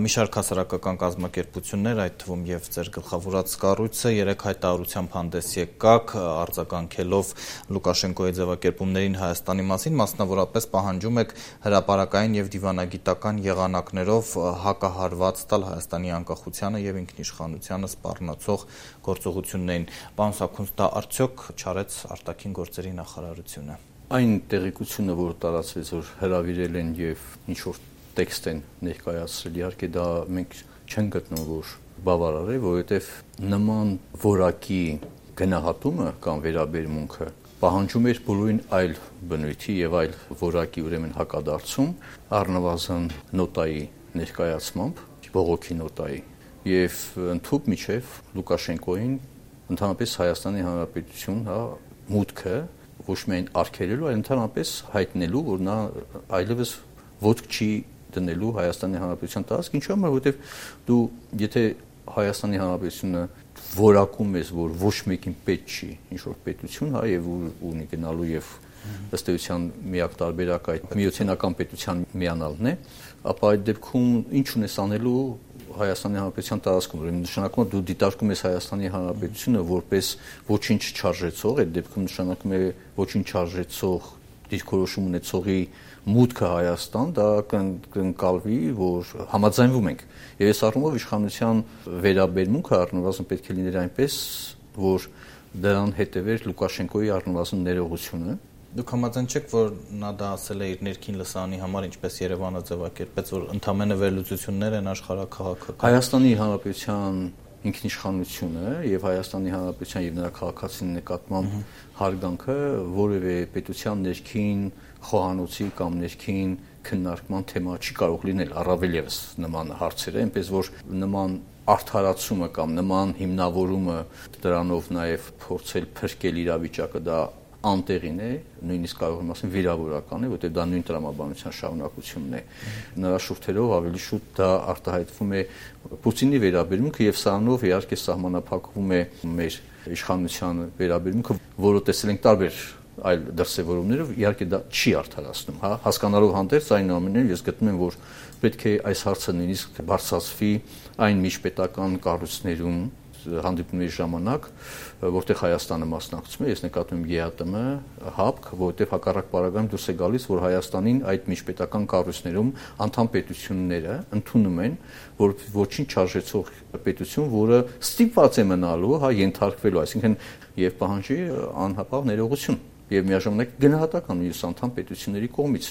Մի շարք հասարակական կազմակերպություններ, այդ թվում եւ ձեր գլխավորած կառույցը 3 հայտարարությամբ հանդես եկաք, արձագանքելով Լուկաշենկոյի ձևակերպումներին Հայաստանի մասին, մասնավորապես պահանջում եք հրապարակային եւ դիվանագիտական եղանակներով հակահարված տալ Հայաստանի անկախությանը եւ ինքնիշխանությանը սպառնացող գործողություններին։ Պարոն Սաքունց, դա արդյոք չարեց արտաքին գործերի նախարարությունը։ Այն տեղեկությունը, որ տարածվեց, որ հրավիրել են եւ ինչ որ տեքստ են ներկայացրել, իհարկե դա մենք չենք գտնում, որ բավարար է, որովհետեւ նման որակի գնահատումը կամ վերաբերմունքը պահանջում էր բոլորին այլ բնույթի եւ այլ որակի ուրեմն հակադարձում, առնվազն նոտայի ներկայացմամբ, բողոքի նոտայի եւ ընդհանուր միջև Լուկաշենկոին ընդհանրապես Հայաստանի Հանրապետություն, մուտքը ոչ միայն արգելելու, այլ ընդհանրապես հայտնելու, որ նա այլևս ոտք չի դնելու Հայաստանի Հանրապետության տարածք, ինչու՞ համար, որովհետև դու եթե Հայաստանի Հանրապետությունը որակում ես, որ ոչ մեկին պետք չի ինչ որ պետություն, եւ ունի գնալու եւ ըստ էության միակ տարբերակը այդ միութենական պետության միանալն է, ապա այդ դեպքում ինչ ունես անելու Հայաստանի Հանրապետության տարածքում, ուրեմն նշանակում է դու դիտարկում ես Հայաստանի Հանրապետությունը որպես ոչինչ չարժեցող, այդ դեպքում նշանակում է ոչինչ չարժեցող դիրքորոշում ունեցողի մուտքը Հայաստան, դա կընկալվի, որ համաձայնվում ենք։ Եվ այս առումով իշխանության վերաբերմունքը առնվազն պետք է լիներ այնպես, որ դրան հետևեր Լուկաշենկոյի առնվազն ներողությունը։ Դուք համաձայն չեք, որ նա դա ասել է իր ներքին լսարանի համար, ինչպես Երևանը ձևակերպեց, որ ընդամենը վերլուծություններ են աշխարհաքաղաքական։ Հայաստանի Հանրապետության ինքնիշխանությունը եւ Հայաստանի Հանրապետության եւ նրա քաղաքացիների նկատմամբ հարգանքը որևէ պետության ներքին խոհանոցի կամ ներքին քննարկման թեմա չի կարող լինել, առավել եւս նման հարցերը, այնպես որ նման արդարացումը կամ նման հիմնավորումը դրանով նաեւ փորձել փրկել իրավիճակը դա անտեղին է, նույնիսկ կարող եմ ասել վիրավորական է, որտեղ դա նույն տրամաբանության շարունակությունն է։ Նրա շուրթերով ավելի շուտ դա արտահայտվում է Պուտինի վերաբերմունքը եւ սրանով իհարկե սահմանափակվում է մեր իշխանության վերաբերմունքը, որը տեսել ենք տարբեր այլ դրսևորումներով, իհարկե դա չի արդարացնում, հասկանալով հանդերձ այնուամենայնիվ ես գտնում եմ, որ պետք է այս հարցը նույնիսկ բարձրացվի այն միջպետական կառույցներում հանդիպումների ժամանակ, որտեղ Հայաստանը մասնակցում է, ես նկատում եմ ԵԱՏՄ, ՀԱՊԿ, որտեղ հակառակ պարագայում դուրս է գալիս, որ Հայաստանին այդ միջպետական կառույցներում անդամ պետությունները ընդունում են, որ ոչինչ չարժեցող պետություն, որը ստիպված է մնալու, ենթարկվելու, այսինքն եւ պահանջի անհապաղ ներողություն եւ միաժամանակ գնահատական մյուս անդամ պետությունների կողմից։